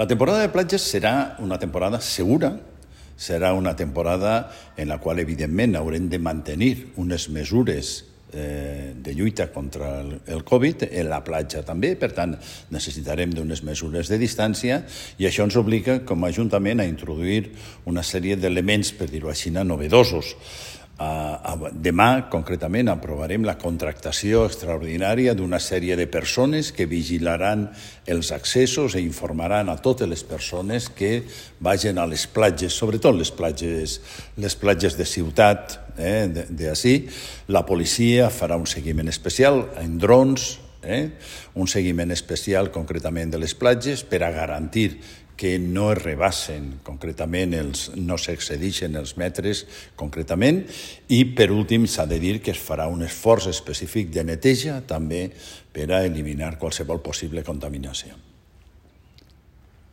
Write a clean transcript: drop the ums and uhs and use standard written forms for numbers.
La temporada de platges serà una temporada segura, serà una temporada en la qual, evidentment, haurem de mantenir unes mesures de lluita contra el Covid, en la platja també, per tant, necessitarem d'unes mesures de distància i això ens obliga com a Ajuntament a introduir una sèrie d'elements, per dir-ho així, novedosos. Demà, concretament, aprovarem la contractació extraordinària d'una sèrie de persones que vigilaran els accessos i informaran a totes les persones que vagin a les platges, sobretot les platges de ciutat, d'ací. La policia farà un seguiment especial en drons, un seguiment especial concretament de les platges per a garantir que no es rebassen concretament, no s'excedeixen els metres concretament, i per últim s'ha de dir que es farà un esforç específic de neteja també per a eliminar qualsevol possible contaminació.